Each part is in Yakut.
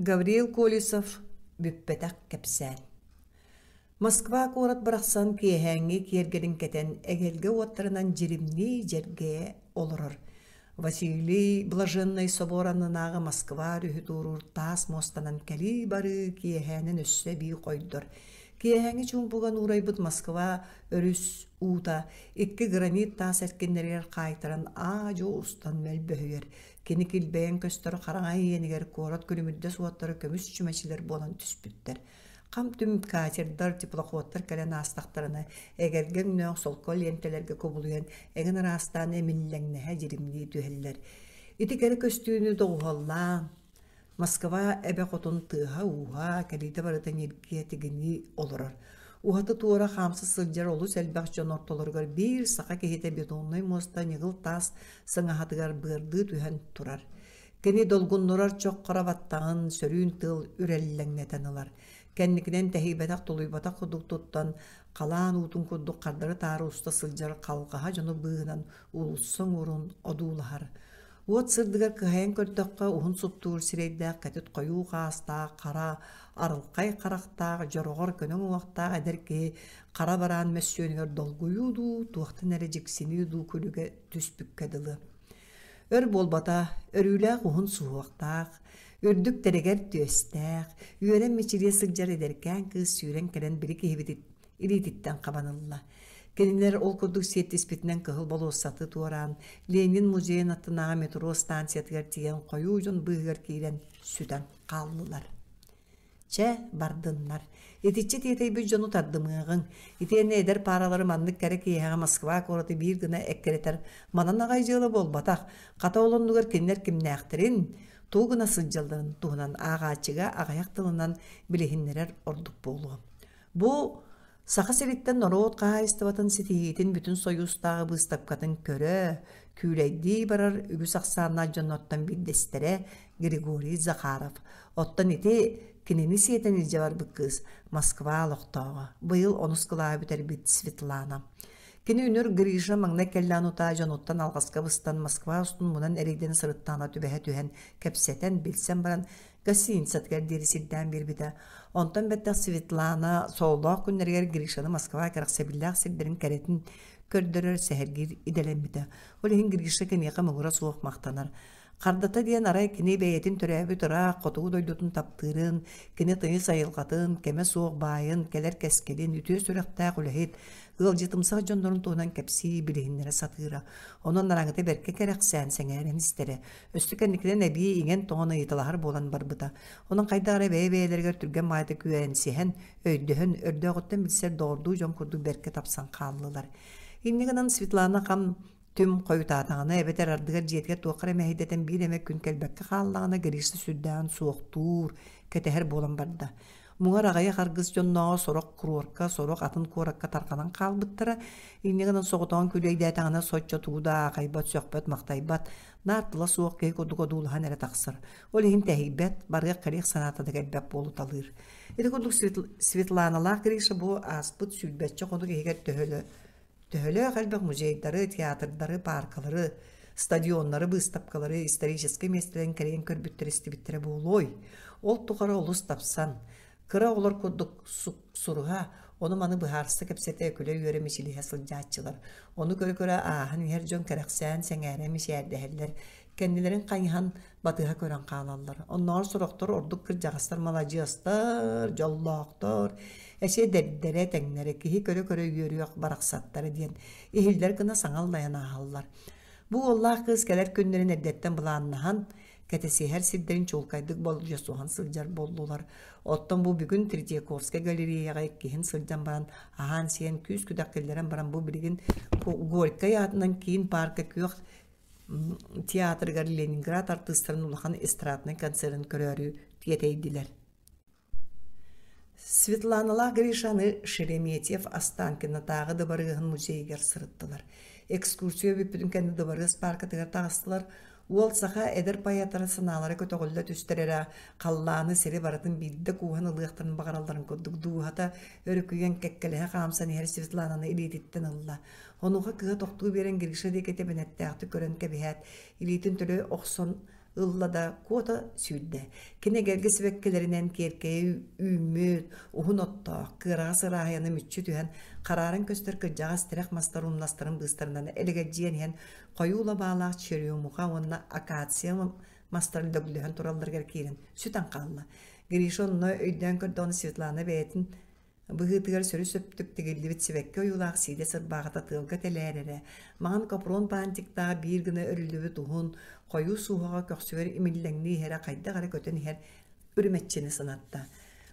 Гаврил Колесов «Бүппэтэх кэпсээн» Москва куорат барахсан киэһээҥҥи киэргэлин кэтэн эгэлгэ уоттарынан дьиримнии дьэргэйэ олорор. Василий Блаженнай собор аннынааҕы Москва өрүһү туоруур таас муостанан кэлии-барыы киэһээнэн өссө эбии хойдор. Киэһээҥҥи чуумпуга нуурайбыт Москва өрүс уута икки гранит таас эркиннэригэр хаайтаран аа-дьуо устан мөлбөһүйэр. Кини килбэйэн көстөр хараҥа иэнигэр куорат күлүмүрдэс уоттара көмүс чүмэчилэр буолан түспүттэр. Хам-түм катердар, теплоходтар кэлэн аастахтарына, эгэлгэ өҥнөөх солко лиэнтэлэргэ кубулуйан, эҥин араастаан эмиллэҥнэһэ дьиримнии түһэллэр. Ити кэрэ көстүүнү доҕуһуоллаан, Москва эбэ хотун тыаһа-ууһа, кэлиитэ барыта ньиргийэ тигинии олорор. Уһаты-туора хаамса сылдьар олус элбэх дьон ортолоругар биир саха киһитэ бетоннай муоста ньыгыл таас сыҥаһатыгар быардыы түһэн турар. Кини долгуннурар чох хара баттаҕын сөрүүн тыал үрэллэҥнэтэн ылар. Кэнникинэн тэһийбэтэх-тулуйбатах курдук туттан, халаан уутун курдук хардары-таары уста сылдьар халҕаһа дьону быыһынан уулусса оҥорун одуулаһар. Уот сырдыгар кыһайан көрдөххө, уһун суптуур сирэйдээх кэтит хойуу хаастаах, хара, арылхай харахтаах, дьороҕор көнө уҥуохтаах эдэр киһи хара бараан мөссүөнүгэр долгуйуу дуу, туохтан эрэ дьиксинии дуу күлүгэ түспүккэ дылы. Өр буолбата, өрүүлээх уһун суһуохтаах, үрдүк тэрэгэр түөстээх, үөрэн мичилийэ сылдьар эдэркээн кыыс сүүрэн кэлэн били киһибитин илиититтэн хабан ылла. Кинилэр ол курдук сиэттиспитинэн Кыһыл болуоссаты туораан, Ленин музейын аттынааҕы метро станциятыгар тиийэн хойуу дьон быыһыгар киирэн сүтэн хааллылар. Чэ, бардыннар. Итиччэ тиэтэйбит дьону тардымыаҕыҥ. Итиэннэ эдэр пааралары маннык кэрэ киэһэҕэ Москва куораты биир гына эккирэтэр манан аҕай дьыала буолбатах. Хата ол оннугар кинилэр кимнээхтэрин, тугу гына сылдьалларын туһунан ааҕааччыга аҕыйах тылынан билиһиннэрэр ордук буолуо. Бу Саха сириттэн норуот хаһаайыстыбатын ситиһиитин бүтүн Сойуустааҕы быыстапкатын көрө, күүлэйдии барар үгүс ахсааннаах дьоннортон биирдэстэрэ Григорий Захаров. Оттон ити кинини сиэтэн илдьэ барбыт кыыс Москва олохтооҕо, быйыл онус кылааһы бүтэрбит Светлана. Кини үнүр Гриша маҥнай кэллээн утаа дьонуттан алҕаска быстан Москва устун мунан эрэйдэнэ сырыттаҕына түбэһэ түһэн, кэпсэтэн, билсэн баран гостиницатыгар диэри сирдээн биэрбитэ. Онтон бэттэх Светлана сололоох күннэригэр Гришаны Москва кэрэхсэбиллээх сирдэрин кэрэтин көрдөрөр, сэһэргиир идэлэммитэ. Ол иһин Гриша киниэхэ муҥура суох махтанар. Хардата диэн арай кини бэйэтин төрөөбүт ыраах хотугу дойдутун таптыырын, кини тыйыс айылҕатын, кэмэ суох баайын, кэлэр кэскилин, үтүө сүрэхтээх үлэһит, ыалдьытымсах дьоннорун туһунан кэпсии, билиһиннэрэ сатыыра. Онон араҥата бэркэ кэрэхсээн, сэҥээрэн истэрэ. Өссө кэнникинэн эбии иҥэн-тоҥон ыйыталаһар буолан барбыта. Онон хайдах эрэ бэйэ-бэйэлэригэр түргэн баҕайытык үөрэнсиһэн, өйдөһөн, өрдөөҕүттэн билсэр доҕордуу дьон курдук бэркэ тапсан хааллылар. Инньэ гынан Светлана хам түм хойутаатаҕына эбэтэр ардыгар дьиэтигэр туохха эрэ мэһэйдэтэн биир эмэ күн кэлбэккэ хааллаҕына Гриша сүрдээҕин суохтуур, кэтэһэр буолан барда. Муҥар аҕыйах аргыс дьоннооҕо сорох куруорка, сорох атын куоракка тарҕанан хаалбыттара. Инньэ гынан соҕотоҕун күлүөйдээтэҕинэ соччо тугу да аахайбат, сөхпөт-махтайбат, наар тыла суох киһи курдук одуулаһан эрэ тахсар. Ол иһин тэһийбэт, барыах-кэлиэх санаата да кэлбэт буолуталыыр. Ити курдук Светланалаах Гриша бу ааспыт сүүрбэччэ хонук иһигэр төһөлө Төһөлөөх элбэх музейдары, театрдары, пааркалары, стадионнары, быыстапкалары, историческай миэстэлэрин кэрийэн көрбүттэр-истибиттэрэ буолуой? Ол тухары олус тапсан, кыра оҕолор курдук суруһа, ону-маны быһаарса кэпсэтэ, күлэ-үөрэ мичилиһэ сылдьааччылар. Ону көрө-көрө ааһан иһэр дьон кэрэхсээн, сэҥээрэн мичээрдэһэллэр, кэннилэрин хайыһан батыһа көрөн хаалаллар. Оннооҕор сорохтор ордук кырдьаҕастар маладьыастар, дьоллоохтор, эчи эдэрдэрэ, тэҥнэрэ киһи көрө-көрө үөрүөх барахсаттара диэн иһиллэр гына саҥа аллайан ааһаллар. Бу уоллаах кыыс кэлэр күннэрин эрдэттэн былааннаһан, кэтэсиһэр сирдэрин чуолкайдык болдьосуһан сылдьар буоллулар. Оттон бу бүгүн Третьяковскай галереяҕа иккиһин сылдьан баран, аһаан-сиэн күүс-күдэх киллэрэн баран бу билигин Горькай аатынан киин паарка күөх театрыгар Ленинград артыыстарын улахан эстраднай концерын көрөөрү тиэтэйдилэр. Светланалаах Гришаны Шереметьев Останкинотааҕы дыбарыаһын музейыгар сырыттылар. Экскурсия бүппүтүн кэннэ дыбарыас пааркатыгар таҕыстылар. Уол саха эдэр поэттара санаалара көтөҕүллэ түстэр эрэ, халлааны сири барытын биирдэ кууһан ылыахтарын баҕаралларын курдук дууһата өрүкүйэн кэккэлэһэ хаамсан иһэр Светлананы илиититтэн ылла. Онуоха кыыһа тохтуу биэрэн Гриша диэки тэбэнэттээхтик көрөн кэбиһээт, илиитин төлө охсон ылла да куота сүүрдэ. Кини эгэлгэ сибэккилэринэн киэркэйэ үүммүт, уһун оттоох, кыараҕас ырааһыйаны мүччү түһэн, харааран көстөр кырдьаҕас тирэх мастар умнастарын быыстарынан элэгэлдьийэн иһэн, хойуу лабаалаах черемуха уонна акация мастар лөглөһөн туралларыгар киирэн сүтэн хаалла. Гриша онно өйдөөн көрдөҕүнэ Светлана бэйэтин Быһыытыгар сөрү-сөптүк тигиллибит сибэкки ойуулаах сиидэс ырбаахыта тыалга тэлээрэрэ, маҥан капрон баантиктаах биир гына өрүллүбүт уһун, хойуу сууһаҕа көхсүгэр имиллэҥнии иһэрэ хайдах эрэ көтөн иһэр үрүмэччини санатта.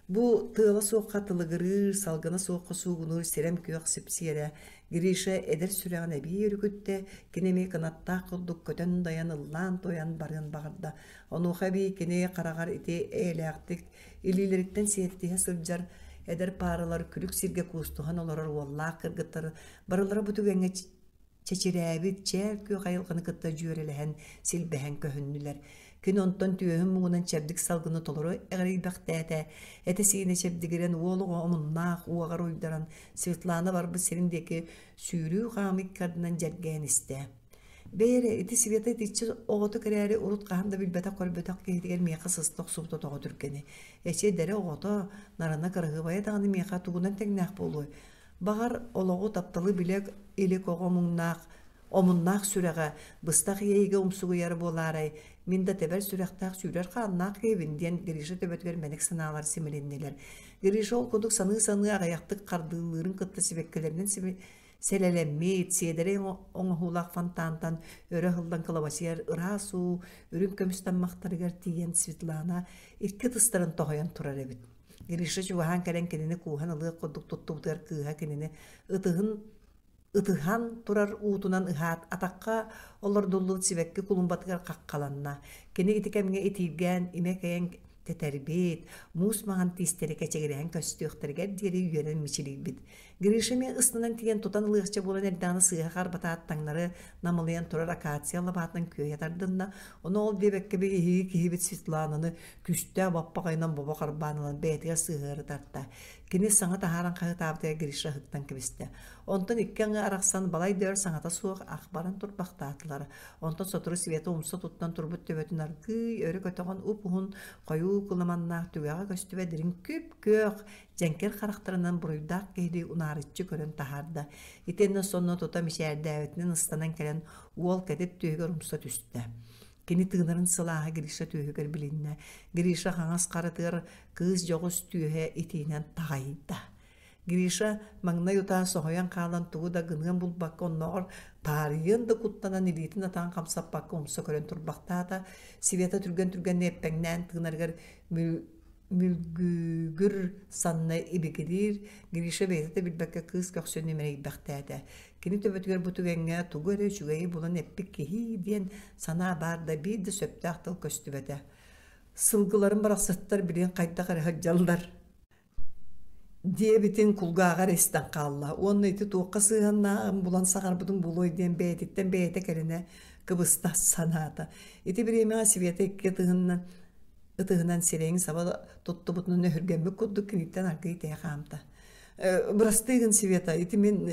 Бу тыала суохха тылыгырыыр, салгына суохха суугунуур сирэм күөх сипсиэрэ Гриша эдэр сүрэҕин эбии өрүкүттэ, кини эмиэ кынаттаах курдук көтөн-дайан ыллаан-туойан барыан баҕарда. Онуоха эбии кини хараҕар ити эйэлээхтик Илиилэриттэн сиэттиһэ сылдьар эдэр пааралар күлүк сиргэ куустуһан олорор уоллаах кыргыттар барылара бу түгэҥҥэ чэчирээбит чээл күөх айылҕаны кытта дьүөрэлэһэн, силбэһэн көһүннүлэр. Кини онтон түөһүн муҥунан чэбдик салгыны толору эҕирийбэхтээтэ, этэ-сиинэ чэбдигирэн уол оҕо омуннаах уоҕар уйдаран Светлана барбыт сирин диэки сүүрүү-хаамыы икки ардынан дьэргээн истэ. Бэйэ эрэ, ити Света итиччэ оҕотук эрээри урут хаһан да билбэтэх-көрбөтөх киһитигэр миэхэ сыста охсубута тоҕо түргэний? Эчи эдэрэ оҕото, нарына кыраһыабайа даҕаны миэхэ тугунан тэҥнээх буолуой? Баҕар, олоҕу, тапталы билэ илик оҕо муҥнаах, омуннаах сүрэҕэ быстах иэйиигэ умсугуйара буолаарай, мин да тэбэр сүрэхтээх сүүрэр хааннаах киһибин диэн Гриша төбөтүгэр мэник санаалар симилиннилэр. Гриша ол курдук саныы-саныы аҕыйахтык хардыылыырын кытта сибэккилэринэн Сэлэлэммит, сиэдэрэй оҥоһуулаах фонтантан өрө ыһыллан кылабачыйар ыраас уу үрүҥ көмүс таммахтарыгар тиийэн Светлана икки ытыстарын тоһуйан турар эбит. Гриша чугаһаан кэлэн кинини кууһан ылыах курдук туттубутугар кыыһа кинини ытыһын ытыһан турар уутунан ыһаат атахха олордуллубут сибэкки кулумбатыгар хаххаланна. Кини ити кэмҥэ итииргээн имэ кэйэн тэтэрбит, муус маҥан тиистэри кэчигирэһэн көстүөхтэригэр диэри үөрэн мичилийбит. Гриша эмиэ ыстанан тиийэн тутан ылыахча буолан эрдэҕинэ сыыһа харбатаат таҥнары намылыйан турар акация лабаатынан күөйэ тардынна. Ону ол диэбэккэ биһиги киһибит Светлананы күстээх баппаҕайынан бобо харбаан ылан бэйэтигэр сыһыары тарта. Кини саҥа таһааран хаһыытаабытыгар Гриша ыһыктан кэбистэ. Онтон икки аҥы арахсан балай да өр саҥата суох ах баран турбахтаатылар. Онтон сотору Света умса туттан турбут төбөтүн аргыый өрө көтөҕөн уп-уһун хойуу кыламаннаах түгэҕэ көстүбэт дириҥ күп-күөх дьэҥкир харахтарынан буруйдаах киһилии унаарыччы көрөн таһаарда. Итиэннэ сонно тута мичээрдээбитинэн ыстанан кэлэн уол кэтит түөһүгэр умса түстэ. Кини тыынарын сылааһа Гриша түөһүгэр билиннэ. Гриша хаҥас харатыгар кыыс дьоҕус түөһэ итиинэн таҕайда. Гриша маҥнай утаа соһуйан хаалан тугу да гыныан булбакка оннооҕор таарыйыан да куттанан илиитин атаҕын хамсаппакка умса көрөн турбахтаата. Света түргэн-түргэнник эппэҥнээн тыынарыгар мүлгүгүр санна ибигириир, Гриша бэйэтэ да билбэккэ кыыс көхсүн имэрийбэхтээтэ. Кини төбөтүгэр бу түгэҥҥэ тугу эрэ үчүгэйи булан эппит киһи диэн санаа баар да биир да сөптөөх тыл көстүбэтэ. Сылгыларын барахсаттар билигин хайдах эрэ сылдьаллар диэбитин кулгааҕар истэн хаалла уонна ити туохха сыһыаннааҕын булан саҥарбытым буолуой диэн бэйэтиттэн бэйэтэ кэлинэ кыбыста санаата. Ити бириэмэҕэ Света икки ытыһынан ытыһынан сирэйин саба туттубутунан өһүргэммит курдук киниттэн аргыый тэйэ хаамта. «Бырастыы гын, Света, ити мин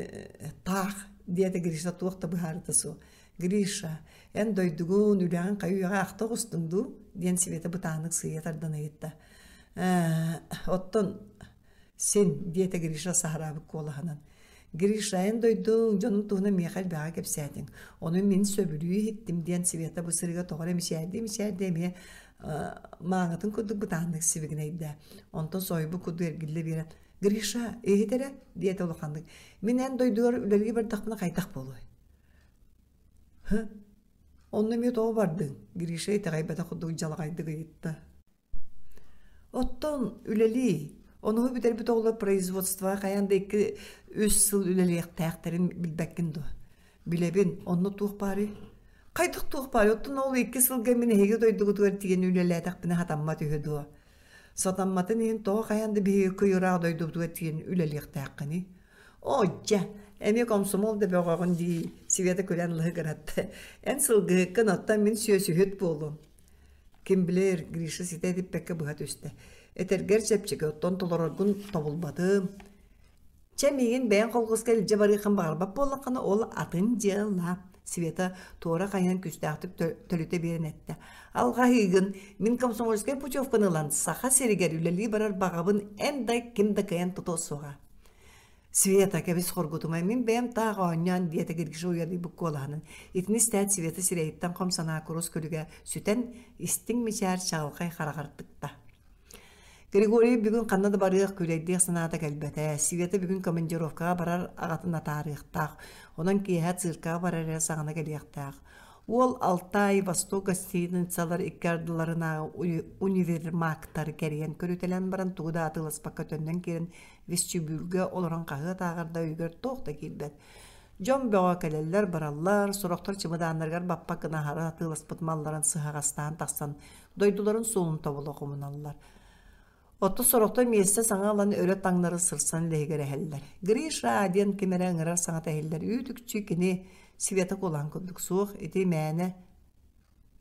таах» диэтэ Гриша туох да быһаарыыта суох. «Гриша, эн дойдугун, үлэҕин хайы-үйэҕэ ахта оҕустуҥ дуу?» диэн Света бытааннык сыыйа тардан ыйытта. «Ээ, оттон Син, диэтэ Гриша саһараабыт куолаһынан. Гриша, эн дойдуҥ, дьонуҥ туһунан миэхэ элбэҕи кэпсээтиҥ. Ону мин сөбүлүү иһиттим, диэн Света бу сырыыга тоҕо эрэ мичээрдии-мичээрдии эмиэ мааҥытын курдук бытааннык сибигинэйдэ. Онтон соһуйбут курдук эргиллэ биэрэн, «Гриша, иһит эрэ», диэтэ улаханнык. «Мин эн дойдугар үлэлии бардахпына хайдах буолуой?» «Һы, онно эмиэ тоҕо бардыҥ?» Гриша итэҕэйбэтэх курдук дьалаҕайдык ыйытта. Оттон үлэлии, онуһу бүтэрбит оҕолор производствоҕа хайаан да икки үс сыл үлэлиэхтээхтэрин билбэккин дуо? Билэбин, онно туох баарый? Хайдах туох баарый? Оттон ол икки сылга мин эһиги дойдугутугар тиийэн үлэлээтэхпинэ сатаммат үһү дуо? Сатамматын иһин тоҕо хайаан да биһиги кый ыраах дойдубутугар тиийэн үлэлиэхтээххиний? Оо, дьэ, эмиэ комсомол да бөҕөҕүн дии, Света күлэн лыһыгыратта. Эн сылгыһыккын, оттон мин сүөсүһүт буолуом. Ким билэр, Гриша ситэ этиппэккэ быһа түстэ. Этэргэр чэпчэки, оттон толороргун тобулбатым. Чэ, миигин бэйэҥ холкуоска илдьэ барыаххын баҕарбат буоллаххына, ол атын дьыала. Света туора хайыһан күүстээхтик төлүтэ биэрэн эттэ. Алҕаһыыгын, мин комсомольскай путевканы ылан Саха сиригэр үлэлии барар баҕабын эн да ким да кыайан тутуо суоҕа. Света, кэбис хоргутумай, мин бэйэм таах оонньоон, диэтэ Гриша уйадыйбыт куолаһынан. Итини истээт Света сирэйиттэн хом санаа курус күлүгэ сүтэн, истиҥ мичээр чаҕылхай хараҕар тыкта. Григорий бүгүн ханна да барыах, күлэйдиэх санаата кэлбэтэ. Света бүгүн командировкаҕа барар аҕатын атаарыахтаах. Онон киэһэ циркаҕа барар эрэ саҕана кэлиэхтээх. Уол Алтай, Восток гостиницалар икки ардыларынааҕы универмагтары кэрийэн көрүтэлээн баран тугу да атыыласпакка төннөн киирэн вестибюльгэ олорон хаһыат ааҕар да өйүгэр туох да киирбэт. Дьон бөҕө кэлэллэр-бараллар, сорохтор чымыдааннарыгар баппат гына аһары атыыласпыт малларын сыһаҕастаан тахсан дойдуларын суолун тобула хомуналлар. Оттон сорохтор миэстэ саҥа ылан өрө таҥнары сырсан лиһигирэһэллэр. «Гриша!» диэн ким эрэ ыҥырар саҥата иһиллэр. Үүт-үкчү кини Света куолаан курдук суох, ити мээнэ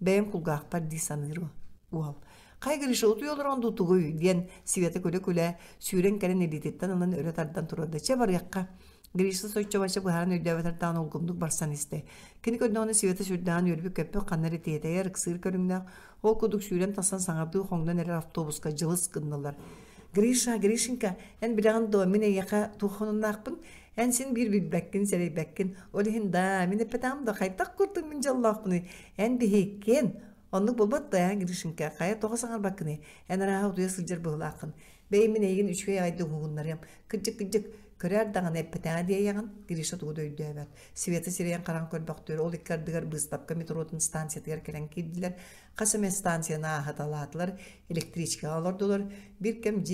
бэйэм кулгаахпар дии саныыр уол. «Хай, Гриша, утуйа олорон дуу тугуй?» диэн Света күлэ-күлэ сүүрэн кэлэн илиититтэн ылан өрө тардан турарда. «Чэ, барыахха». Гриша соччо-бачча быһааран өйдөөбөтөр даҕаны улгумнук барсан истэ. Кини көрдөҕүнэ Света сүрдээҕин үөрбүт-көппүт ханна эрэ тиэтэйэр, ыксыыр көрүҥнээх, ол курдук сүүрэн тахсан саҥардыы хоҥнон эрэр автобуска дьылыс гыннылар. «Гриша, Гришенька, эн билэҕин дуо, мин эйиэхэ туох хонуннаахпын? Эн син биир билбэккин, сэрэйбэккин. Ол иһин да, мин эппэтэҕим да, хайдах курдук мин дьоллоохпунуй? Эн биһиккин. Оннук буолбат да, эн, Гришенька, хайа тоҕо саҥарбаккыный? Эн арааһа утуйа сылдьар быһыылааххын. Бэйи мин эйигин үчүгэй аҕайдык уһугуннарыам. Кырдьык-кырдьык, көрөөр даҕаны эппэтэҕэ диэйэҕин, Гриша тугу да өйдөөбөт. Света сирэйин хараҕын көрбөхтүөр, ол икки ардыгар быыстапка метротун станциятыгар кэлэн киирдилэр. Хас эмэ станцияны ааһыталаатылар, электричкаҕа олордулар. Биир кэм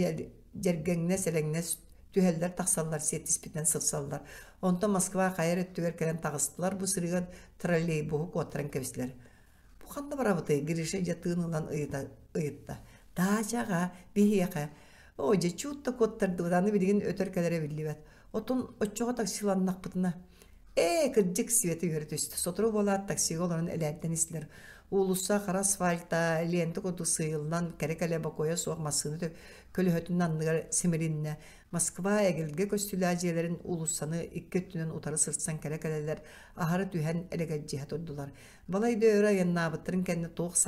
дьэргэҥнэс-элэҥнэс түһэллэр-тахсаллар, сиэттиспитинэн сырсаллар. Онтон Москва хайа эрэ өттүгэр кэлэн таҕыстылар, бу сырыыга троллейбуһу куоттаран кэбистилэр. Бу ханна барабытый? Гриша дьэ тыын ылан ыйытта. Даачаҕа, биһиэхэ. Оо, дьэ, чуут да куоттардыбыт, аны билигин өтөр кэлэрэ биллибэт. Отун оччоҕо таксиланнахпытына. Ээ, кырдьык, Света үөрэ түстэ. Сотору буолаат таксига олорон элээрдэн истилэр. Уулусса хара асфальта, лента курдук сыыйыллан, кэрэ-кэлэ бокуойа суох массыына көлөһөтүн анныгар симилиннэ. Москва эгэлгэ көстүүлээх дьиэлэрин уулуссаны икки өттүнэн утары сырсан кэлэ-кэлэлэр аһара түһэн элэгэлдьиһэ турдулар. Балай да өр айаннаабыттарын кэннэ туох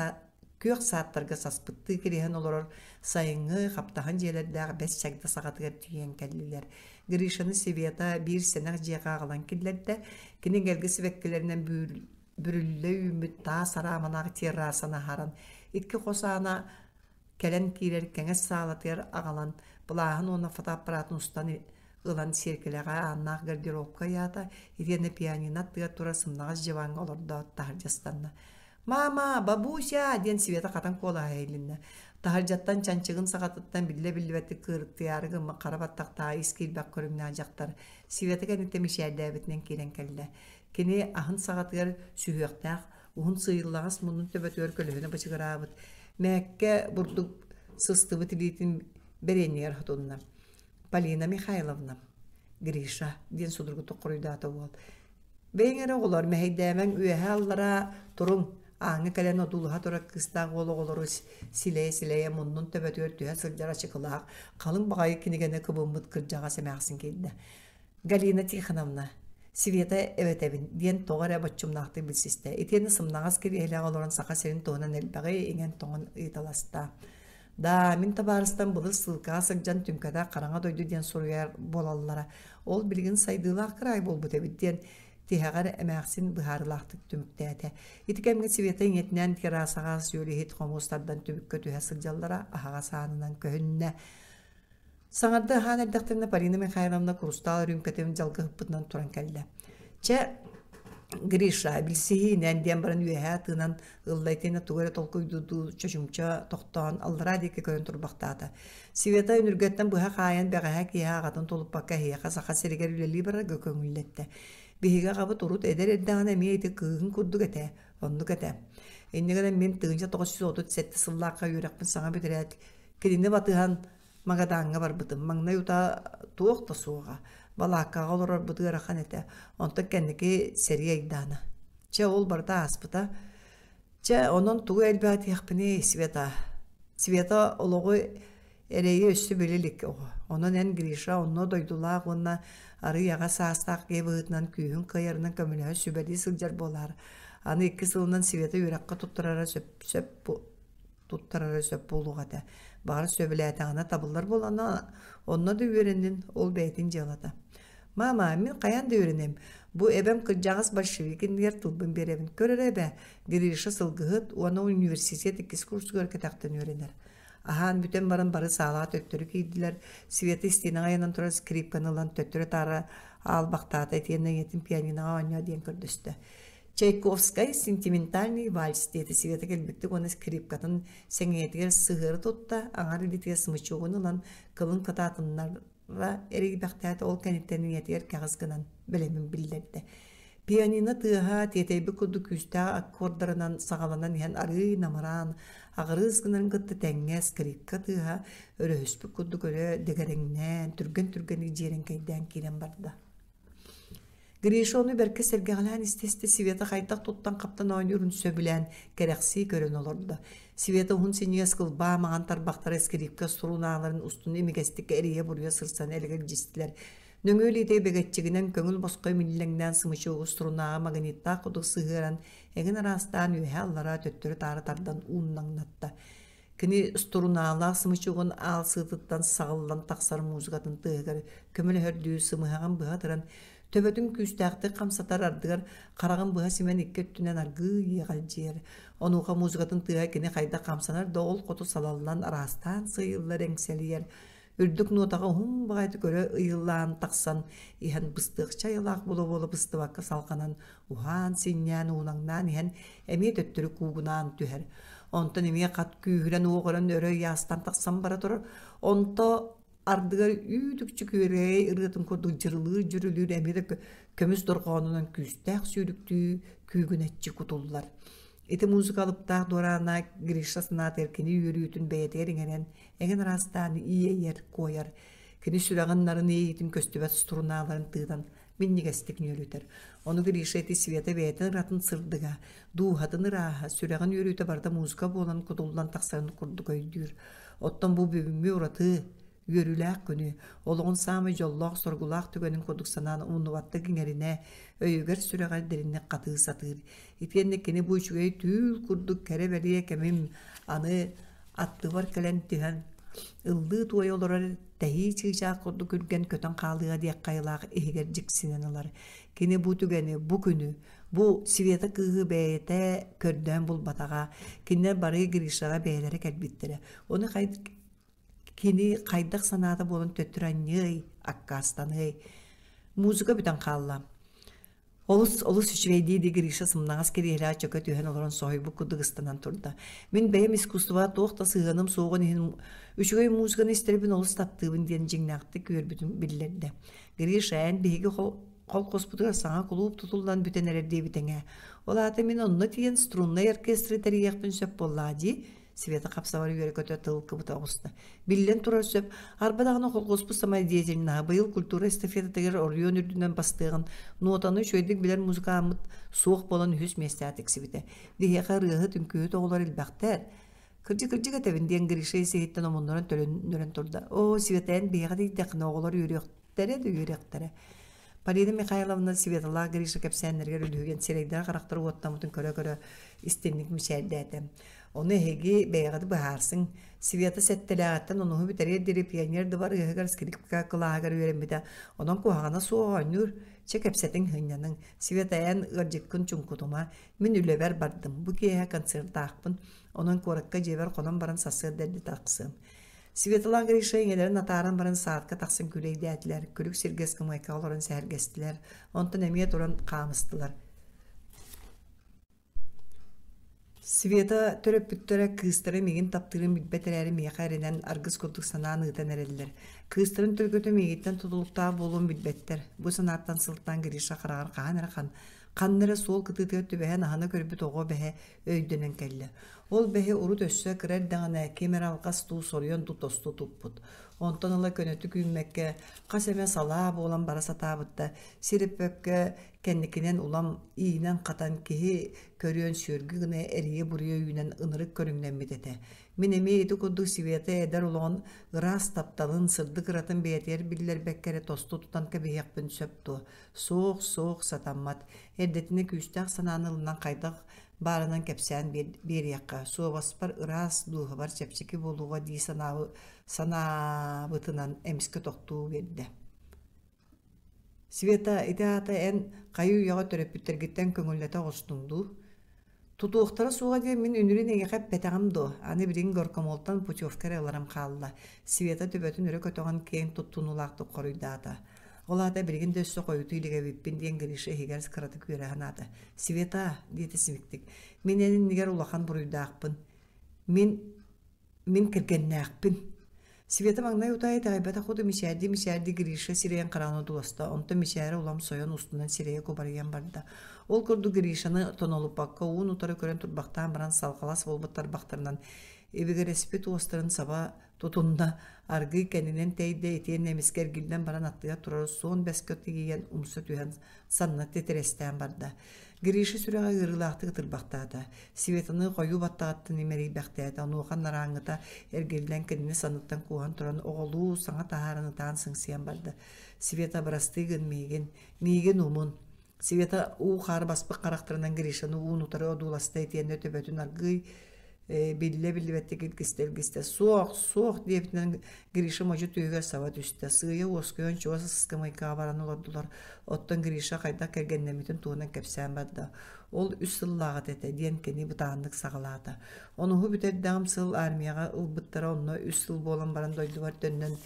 күөх сааттарга саспыттыы кириһэн олорор сайыҥҥы хаптаһын дьиэлэрдээх бэс чагда саҕатыгар тиийэн кэллилэр. Гришаны Света биир сэнэх дьиэҕэ аҕалан киллэрдэ. Кини эгэлгэ сибэккилэринэн бүрүллэ үүммүт таас араамалаах террасаны аһаран, икки хос аана кэлэн киирэр кэҥэс саалатыгар аҕалан, былааһын уонна фотоаппаратын устан ылан сиэркилэҕэ ааннаах гардеробка ыйаата, итиэннэ пианино аттыгар турар сымнаҕас дьыбааҥҥа олордоот таһырдьа ыстанна. «Мама, бабуся!» диэн Света хатан куолаһа иһилиннэ. Таһырдьаттан чанчыгын саҕатыттан биллэ-биллибэттик кыырыктыйаары гыммыт хара баттахтаах ис киирбэх көрүҥнээх дьахтар Света кэнниттэн мичээрдээбитинэн киирэн кэллэ. Кини аһын саҕатыгар сүһүөхтээх, уһун сыыйыллаҕас муннун төбөтүгэр көлөһүнэ бычыгыраабыт, мээккэ бурдук сыстыбыт илиитин бэриэнньигэр хотунна. «Полина Михайловна, Гриша» диэн судургутук хоруйдаата уол. «Бэйэҥ эрэ оҕолор мэһэйдээмэҥ үөһэ-аллараа туруҥ, ааҥҥа кэлэн одуулаһа турар кыыстаах уол оҕолору силэйэ-силэйэ муннун төбөтүгэр түһэ сылдьар ачыкылаах, халыҥ баҕайы кинигэни кыбыммыт кырдьаҕас эмээхсин киирдэ. Галина Тихоновна, Света эбэтэбин диэн тоҕо эрэ боччумнаахтык билсистэ. Итиэннэ сымнаҕас кириэһилэҕэ олорон Саха сирин туһунан элбэҕи иҥэн-тоҥон ыйыталаста. Да, мин табаарыстан былыр ссылкаҕа сылдьан түҥкэтэх хараҥа дойду диэн суруйар буолаллара. Ол билигин сайдыылаах кыраай буолбут эбит диэн тиһэҕэр эмээхсин быһаарыылаахтык түмүктээтэ. Ити кэмҥэ Света ийэтинээн террасаҕа сүөлүһүт хомус тардан түбүккэ түһэ сылдьаллара аһаҕас аанынан көһүннэ. Саҥарды аһаан эрдэхтэринэ Полина Михайловна курустаал үрүүмкэтин дьалгыһыппытынан туран кэллэ. Чэ, Гриша, билсиһиинэн диэн баран үөһээ тыынан ылла итиэннэ тугу эрэ толкуйдуурдуу чочумча тохтоон аллараа диэки көрөн турбахтаата. Света үнүргэттэн быһа хаайан бэҕэһээ киэһэ аҕатын тулуппакка эһиэхэ Саха сиригэр үлэлии барарга көҥүллэттэ. Биһиги аҕабыт урут эдэр эрдэҕинэ эмиэ ити кыыһын курдук этэ, оннук этэ. Инньэ гынан мин 1937 сыллаахха үөрэхпин саҥа бүтэрээт Кинини батыһан Магадаҥҥа барбытым. Маҥнай утаа туох да суоҕа. Балааккаҕа олорорбут ыарахан этэ. Онтон кэнники сэрии айдаана. Чэ, ол барыта ааспыта. Чэ, онон тугу элбээтиэхпиний, Света? Света олоҕу Эрэйи өссө билэ илик оҕо. Онон эн, Гриша, онно дойдулаах уонна арыый аҕа саастаах киһи быһыытынан күүһүн кыайарынан көмөлөһө сүбэлии сылдьар буолаар. Аны икки сылынан Света үөрэххэ туттарара сөп, сөп туттарара сөп буолуох этэ. Баҕар сөбүлээтэҕинэ табыллар буолана, онно да үөрэннин, ол бэйэтин дьыалата. Мама, мин хайаан да үөрэнэм. Бу эбэм кырдьаҕас большевик иннигэр тылбын биэрэбин. Көр эрэ эбээ, Гриша сылгыһыт уонна университет иккис курсугар кэтэхтэн үөрэнэр. Аһаан бүтэн баран бары саалаҕа төттөрү киирдилэр. Света истиэнэҕэ ыйанан турар скрипканы ылан төттөрү-таары аалбахтаата итиэннэ ийэтин пианиноҕа оонньоо диэн көрдөстө. Чайковскай сентиментальный вальс диэтэ Света кэлбиттик уонна скрипкатын сэҥийэтигэр сыһыары тутта, аҥар илиитигэр смычогун ылан кылын кытаатыннара эрийбэхтээтэ, ол кэнниттэн ийэтигэр кэҕис гынан бэлэмин биллэрдэ. Пианино тыаһа тиэтэйбит курдук күүстээх аккордарынан саҕаланан иһэн арыый намыраан, аҕырыыс гынарын кытта тэҥҥэ скрипка тыаһа өрөһүспүт курдук өрө дэгэрэҥнээн, түргэн-түргэнник дьиэрэҥкэйдээн киирэн барда. Гриша ону бэркэ сэргэҕэлээн истэ-истэ Света хайдах туттан-хаптан оонньуурун сөбүлээн, кэрэхсии көрөн олордо. Света уһун синньигэс кылбаа маҥан тарбахтара скрипка сурунааларын устун имигэстик эрийэ-буруйа сырсан элэгэлдьистилэр. Нөҥүө илиитэ бэгэччигинэн көҥүл босхо имиллэҥнээн сымычыгы устурунааҕы магниттаах курдук сыһыаран, эҥин араастаан үөһэ-аллараа төттөрү-таары тардан ууннаҥнатта. Кини струналаах сымычыгын аал сыытыттан саҕыллан тахсар музыкатын тыаһыгар көмөлөһөрдүү сымыһаҕын быһа ытыран, төбөтүн күүстээхтик хамсатар ардыгар хараҕын быһа симэн икки өттүнэн аргыый иэҕэлдьийэр. Онуоха музыкатын тыаһа кини хайдах хамсанар да ол хоту салаллан араастаан сыыйыллар эҥсэлийэр. Үрдүк нуотаҕа уһун баҕайытык өрө ыйыллаан тахсан иһэн быстыахча айылаах буола-буола быстыбакка салҕанан уһаан, синньээн, уунаҥнаан иһэн эмиэ төттөрү куугунаан түһэр. Онтон эмиэ хат күүһүрэн уоҕуран өрө ыйаастан тахсан бара турар. Онто ардыгар үүт-үкчү күөрэгэй ырыатын курдук дьырылыыр-дьүрүлүүр эмиэ да көмүс дорҕоонунан күүстээх сүүрүктүү күүгүнэччи кутуллар. Ити музыка алыптаах дуораана Гриша санаатыгар кини үөрүүтүн бэйэтигэр иҥэрэн, эҥин араастаан иэйэр, куойар. Кини сүрэҕин нарын иэйиитин көстүбэт струналарын тыынан минньигэстик нүөлүтэр. Ону Гриша ити Света бэйэтин ыратын сырдыга, дууһатын ырааһа, сүрэҕин үөрүүтэ барыта музыка буолан кутуллан тахсарын курдук өйдүүр. Оттон бу бүгүҥҥү ураты үөрүүлээх күнү, олоҕун саамай дьоллоох-соргулаах түгэнин курдук санаан умнубаттык иҥэринэ, өйүгэр-сүрэҕэр дириҥник хатыы сатыыр. Итиэннэ кини бу үчүгэй түүл курдук кэрэ-бэлиэ кэмим аны аттыбар кэлэн түһэн ыллыы-туойа олорор тэһии чыычаах курдук үргэн көтөн хаалыа диэх хайалаах иһигэр дьиксинэн ылар. Кини бу түгэни, бу күнү, бу Света кыыһы бэйэтэ көрдөөн булбатаҕа. Кинилэр бары Гришаҕа бэйэлэрэ кэлбиттэрэ. Ону кини хайдах санаата буолан төттөрү анньыай, аккаастаныай. Музыка бүтэн хаалла. Олус, олус үчүгэй дии-дии Гриша сымнаҕас кириэһилэҕэ чөкө түһэн олорон соһуйбут курдук ыстанан турда. Мин бэйэм искусствоҕа туох да сыһыаным суоҕун иһин үчүгэй музыканы истэрбин олус таптыыбын диэн дьиҥнээхтик үөрбүтүн биллэрдэ. Гриша, эн биһиги холкуоспутугар саҥа кулууп тутуллан бүтэн эрэр диэбитиҥ ээ. Ол аата мин онно тиийэн струннай оркестры тэрийиэхпин сөп буоллаҕа дии Света хапсабар үөрэ-көтө тыл кыбыта оҕуста. Биллэн турар сөп, арба даҕаны холкуоспут самодеятельноһа быйыл культура эстафетатыгар оройуон үрдүнэн бастыаҕын, нуотаны үчүгэйдик билэр музыкааммыт суох буолан үһүс миэстэҕэ тиксибитэ. Биһиэхэ ырыаһыт, үҥкүүһүт оҕолор элбэхтэр. Кырдьык-кырдьык этэбин диэн Гриша ис-иһиттэн омуннуран төлөннөрөн турда. Оо, Света, эн биһиэхэ тиийдэххинэ оҕолор үөрүөхтэрэ да үөрүөхтэрэ. Полина Михайловна Светалаах Гриша кэпсээннэригэр үлүһүйэн сирэйдэрэ-харахтара уоттаммытын көрө-көрө истинник мичээрдээтэ. Ону эһиги бэйэҕит быһаарсыҥ. Света сэттэлээҕиттэн онуһу бүтэриэр диэри пионер дыбарыаһыгар скрипка кылааһыгар үөрэммитэ. Онон куһаҕана суох оонньуур. Чэ кэпсэтиҥ, сынньаныҥ. Света эн ыалдьыккын чуҥкутума. Мин үлэбэр бардым. Бу киэһэ концертаахпын. Онон куоракка дьиэбэр хонон баран сарсыарда эрдэ тахсыам. Светлана Гриша ийэлэрин атааран баран саадка тахсан күлэйдээтилэр, күлүк сиргэ ыскамыайкаҕа олорон сэһэргэстилэр, онтон эмиэ туран хаамыстылар. Света төрөппүттэрэ кыыстара миигин таптыырын билбэт эрээри миэхэ эрэнэн аргыс курдук санаан ыытан эрэллэр. Кыыстарын төлкөтө миигиттэн тутулуктаах буолуон билбэттэр. Бу санааттан сылтаан Гриша хараҕар хаһан эрэ ханна эрэ суол кытыытыгар түбэһэн аһына көрбүт оҕо бэһэ өйдөнөн кэллэ. Ол бэһи урут өссө кыра эрдэҕинэ ким эрэ алҕас дуу соруйан дуу тосту туппут. Онтон ыла көнөтүк үүммэккэ, хас эмэ салаа буолан бара сатаабыт да, сир өппөккө кэнникинэн улам иинэн-хатан киһи көрүөн сүөргү гына эрийэ-буруйа үүнэн ынырык көрүҥнэммит этэ. Мин эмиэ ити курдук Света эдэр олоҕун ыраас тапталын, сырдык ыратын бэйэтигэр биллэрбэккэ эрэ тосту тутан кэбиһиэхпин сөп дуо? Суох, суох, сатаммат. Эрдэтинэ күүстээх санааны ылынан хайдах баарынан кэпсээн биэриэххэ, суобаспар ыраас, дууһабар чэпчэки буолуоҕа дии санаабытынан эмискэ тохтуу биэрдэ. Света, ити аата эн хайыы-үйэҕэ төрөппүттэргиттэн көҥүллэтэ оҕустуҥ дуу? Тутуохтара суоҕа диэн мин үнүрүүн эйиэхэ эппэтэҕим дуо? Аны билигин горкомолтан путевка эрэ ыларым хаалла, Света төбөтүн өрө көтөҕөн киэҥ туттунуулаахтык хоруйдаата. Ол аата билигин да өссө хойутуу илик эбиппин диэн Гриша иһигэр кыратык үөрэ санаата. Света, диэтэ симиктик, мин эн иннигэр улахан буруйдаахпын. Мин Мин кэргэннээхпин. Света маҥнай утаа итэҕэйбэтэх курдук мичээрдии-мичээрдии Гриша сирэйин хараҕын одууласта, онтон мичээрэ улам сойон устунан сирэйэ кубарыйан барда. Ол курдук Гришаны тонолуппакка уун-утары көрөн турбахтаан баран салҕалас буолбут тарбахтарынан ибигирэспит уостарын саба тутунна, аргыый кэннинэн тэйдэ итиэннэ эмискэ эргиллэн баран аттыгар турар суон бэскэ тиийэн умса түһэн санна титирэстээн барда. Гриша сүрэҕэ ыарыылаахтык ытырбахтаата. Светаны хойуу баттаҕыттан имэрийбэхтээтэ, онуоха нарааҥҥыта эргиллэн кинини санныттан кууһан туран оҕолуу саҥа таһааран ытаан сыҥсыйан барда. Света, бырастыы гын миигин, миигин умун. Света уу-хаар баспыт харахтарынан Гришаны уун-утары одууласта итиэннэ төбөтүн аргыый биллэ-биллибэттик илгистэ-илгистэ «Суох, суох» диэбитинэн Гриша модьу түөһүгэр саба түстэ. Сыыйа уоскуйан чугас ыскамыайкаҕа баран олордулар. Оттон Гриша хайдах кэргэннэммитин туһунан кэпсээн барда. Ол үс сыллааҕыта этэ диэн кини бытааннык саҕалаата. Онуһу бүтэрдэҕим сыл армияҕа ылбыттара онно үс сыл буолан баран дойдубар төннөн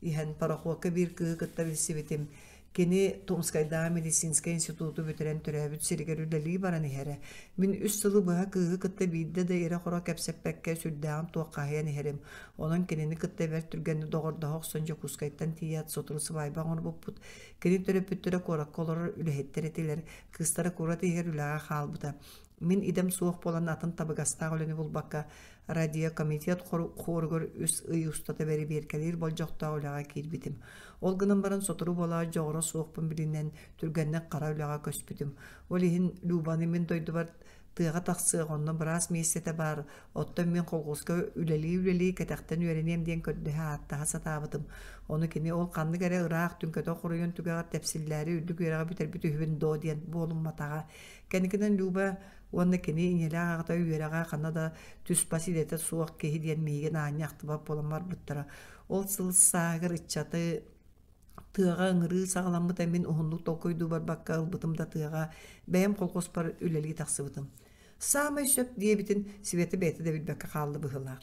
иһэн пароходка биир кыыһы кытта билсибитим. Кини Томскайдааҕы медицинскэй институту бүтэрэн төрөөбүт сиригэр үлэлии баран иһэрэ. Мин үс сылы быһа кыыһы кытта биирдэ да ирэ-хоро кэпсэппэккэ сүрдээҕин туоххаһыйан иһэрим. Онон кинини кытта бэрт түргэнник доҕордоһо охсон Дьокуускайтан тиийээт сотору сыбаайба оҥорбуппут. Кини төрөппүттэрэ куоракка олорор үлэһиттэр этилэр. Кыыстара куорат иһигэр үлэҕэ хаалбыта. Мин идэм суох буолан атын табыгастаах үлэни булбакка радиокомитет хоругар үс ый устата бэрэбиэркэлиир болдьохтоох үлэҕэ киирбитим. Ол гынан баран сотору буолаат дьоҕура суохпун билинэн түргэнник хара үлэҕэ көспүтүм. Ол иһин Любаны мин дойдубар тыаҕа тахсыах, онно быраас миэстэтэ баар, оттон мин колхуоска үлэлии-үлэлии кэтэхтэн үөрэниэм диэн көрдөһө ааттаһа сатаабытым. Ону кини ол ханнык эрэ ыраах түҥкэтэх оройуон түгэҕэр тэпсиллээри үрдүк үөрэҕи бүтэрбит үһүбүн доо диэн буолумматаҕа. Кэнникинэн Люба уонна кини ийэлээх аҕата үөрэҕэ ханна да түс-бас идэтэ суох киһи диэн миигин аанньа ахтыбат буолан барбыттара. Ол сыл сааһыгар ыччаты тыаҕа ыҥырыы саҕаламмыта мин уһуннук толкуйдуу барбакка ылбытым да тыаҕа бэйэм колхуоспар үлэлии тахсыбытым. Саамай сөп диэбитин Света бэйэтэ да билбэккэ хаалла быһыылаах.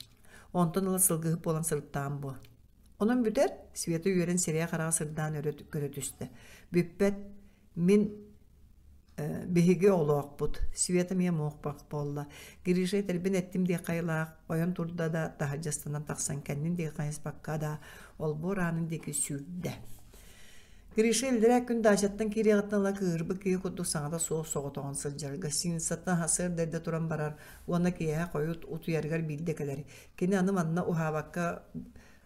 Онтон ыла сылгыһыт буолан сырыттаҕым буо. Онон бүтэр, Света үөрэн сирэйэ-хараҕа сырдаан өрө көрө түстэ. Бүппэт, мин биһиги оҕолоохпут, Света эмиэ муохпах буолла. Гриша этэрбин эттим диэх хайылаах, ойон турда да таһырдьастанан тахсан кэннин диэки хайыспакка да олбуор аанын диэки сүүрдэ. Гриша иллэрээ күн даачаттан киириэҕиттэн ыла кыыһырбыт киһи курдук саҥата суох соҕотоҕун сылдьар. Гостиницаттан сарсыарда эрдэ туран барар уонна киэһэ хойут утуйарыгар биирдэ кэлэр. Кини аны манна уһаабакка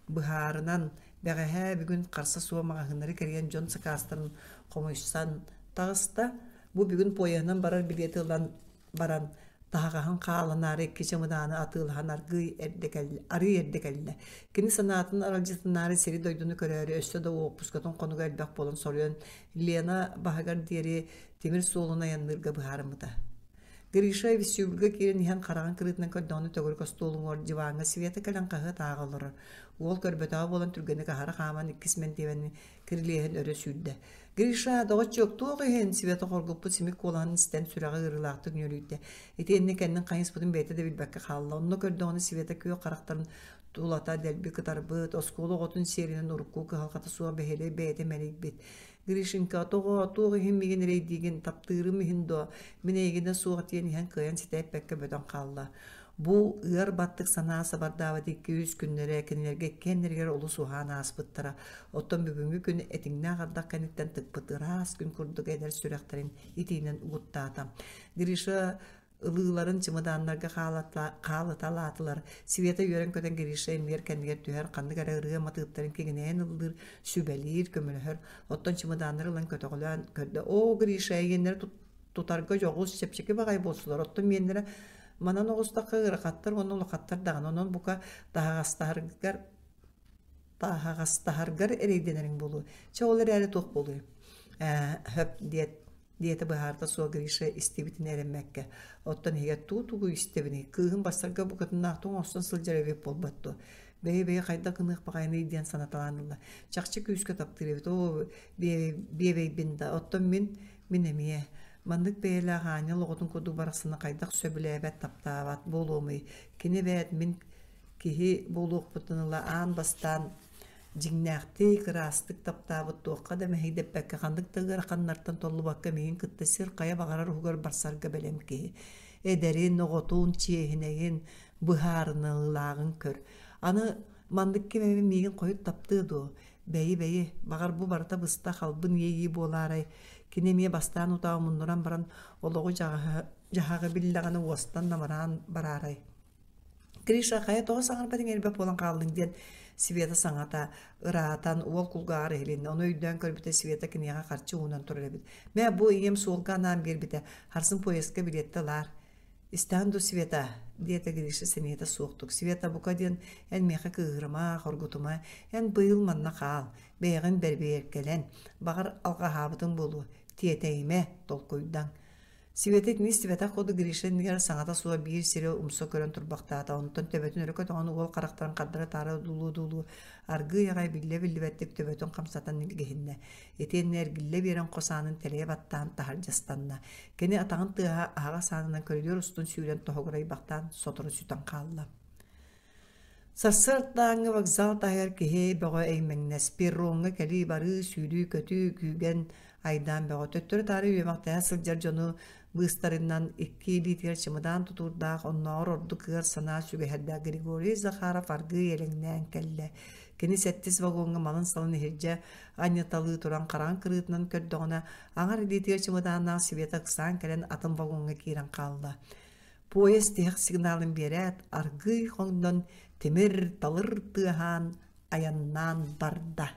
быһаарынан, бэҕэһээ бүгүн харса суох маҕаһыыннары кэрийэн дьон сакаастарын хомуйсан таҕыста. Бу бүгүн поеһынан барар билиэти ылан баран, таһаҕаһын хааланаары икки чымыдааны атыылаһан аргыый эрдэ кэллэ, арыый эрдэ кэллэ. Кини санаатын аралдьытынаары сири-дойдуну көрөөрү өссө да уоппускатын хонуга элбэх буолан соруйан Лена баһыгар диэри тимир суолун айанныырга быһаарыммыта. Гриша вестибюльга киирэн иһэн хараҕын кырыытынан көрдөҕүнэ төгүрүк остуол уҥуор диваҥҥа Света кэлэн хаһыат ааҕа олорор. Уол көрбөтөҕө буолан түргэнник аһара хааман иккис мэндиэмэни кирилиэһин өрө сүүрдэ. «Гриша, доҕоччуок, туох иһин?» Света хоргуппут симик куолаһын истэн сүрэҕэ ыарыылаахтык нүөлүйдэ. Итиэннэ кэннин хайыспытын бэйэтэ да билбэккэ хаалла. Онно көрдөҕүнэ Света күөх харахтарын тулата дэлби кытарбыт, оскуола оҕотун сиэринэн урукку кыһалҕата суох бэһиэлэй бэйэтэ мэлийбит. Гришенька, тоҕо, туох иһин миигин эрэйдиигин, таптыырым иһин дуо, мин эйигинэ суох диэн иһэн кыайан ситэ эппэккэ бөтөн хаалла. Бу ыар баттык санаа сабардаабыт икки-үс күннэрэ кинилэргэ иккиэннэригэр олус уһаан ааспыттара. Оттон бүгүҥҥү күн этиҥнээх ардах кэнниттэн тыкпыт ыраас күн курдук эдэр сүрэхтэрин итиинэн угуттаата. Гриша Ылыыларын чымыдааннарга хаалыталаатылар. Света үөрэн-көтөн Гриша иннигэр кэннигэр түһэр, ханнык эрэ ырыа матыыптарын киҥинэйэн ыллыыр, сүбэлиир, көмөлөһөр. Оттон чымыдааннары ылан көтөҕөлөөн көрдө. Оо, Гриша, эйиэннэрэ тутарга дьоҕус, чэпчэки баҕайы буолсулар. Оттон миэннэрэ манан оҕустахха ыарахаттар уонна улахаттар даҕаны. Онон бука таһаҕастаһаргар таһаҕастаһаргар эрэйдэнэриҥ буолуо. Чэ, ол эрээри туох буолуой? Ээ, хөп диэт диэтэ быһаарта суох Гриша истибитин эрэммэккэ. Оттон иһигэр туу-тугу истэбиний? Кыыһым бассарга букатыннаахтык оҥостон сылдьар эбит буолбат дуо? Бэйэ-бэйэ хайдах гыныах баҕайыный диэн санаталаан ылла. Чахчы күүскэ таптыыр эбит. Оо, биэбэйбин да. Оттон мин, мин эмиэ. Маннык бэйэлээх аанньал оҕотун курдук барахсаны хайдах сөбүлээбэт, таптаабат буолуомуй? Кини эбээт мин киһи буолуохпуттан ыла аан бастаан дьиҥнээхтик, ыраастык таптаабыт туохха да мэһэйдэппэккэ, ханнык да ыараханнартан толлубакка миигин кытта сир хайа баҕарар уһугар барсарга бэлэм киһи. Эдэрин, оҕотун, чиэһинэйин, быһаарыныылааҕын көр. Аны маннык ким эмэ миигин хойут таптыа дуо? Бэйи-бэйи, баҕар бу барыта быстах албын иэйии буолаарай? Кини эмиэ бастаан утаа омуннуран баран олоҕу дьаһаҕы биллэҕинэ уостан намыраан бараарай? Гриша, хайа тоҕо саҥарбат иҥэрбэт буолан хааллыҥ диэн Света саҥата ыраатан уол кулгааҕар иһилиннэ. Ону өйдөөн көрбүтэ Света киниэхэ харчы уунан турар эбит. Мэ, бу ийэм суолга анаан биэрбитэ. Харсын поездка билиэттэ ылаар. Истэҕин дуу, Света? диэтэ Гриша сэниэтэ суохтук. Света, бука диэн эн миэхэ кыыһырыма, хоргутума. Эн быйыл манна хаал. Бэйэҕин бэрбиэркэлэн. Баҕар, алҕаһаабытыҥ буолуо. Тиэтэйимэ, толкуйдаҥ. Света итини истибэтэх курдук Гриша иннигэр саҥата суох биир сири умса көрөн турбахтаата, онтон төбөтүн өрө көтөҕөн уол харахтарын хардары-таары одуулуу-одуулуу аргыый аҕай биллэ-биллибэттик төбөтүн хамсатан илгиһиннэ. Итиэннэ эргиллэ биэрэн хос аанын тэлэйэ баттаан таһырдьа ыстанна. Кини атаҕын тыаһа аһаҕас аанынан көрүдүөр устун сүүрэн тоһугурайбахтаан сотору сүтэн хаалла. Сарсыардааҥҥы вокзал таһыгар киһи бөҕө эймэҥнэс, перроҥҥа кэлии-барыы, сүүрүү-көтүү, күүгэн, айдаан бөҕө. Төттөрү-таары үөмэхтэһэ сылдьар дьону быыстарынан икки илиитигэр чымыдаан тутуурдаах, оннооҕор ордук ыар санаа сүгэһэрдээх Григорий Захаров аргыый элэҥнээн кэллэ. Кини сэттис вагоҥҥа малын-салын иһирдьэ анньыталыы туран хараҥа кырыытынан көрдөҕүнэ, аҥар илиитигэр чымыдааннаах Света ыксаан кэлэн атын вагоҥҥа киирэн хаалла. Поезд тиһэх сигналын биэрээт, аргыый хоҥнон тимир-талыр тыаһаан айаннаан барда.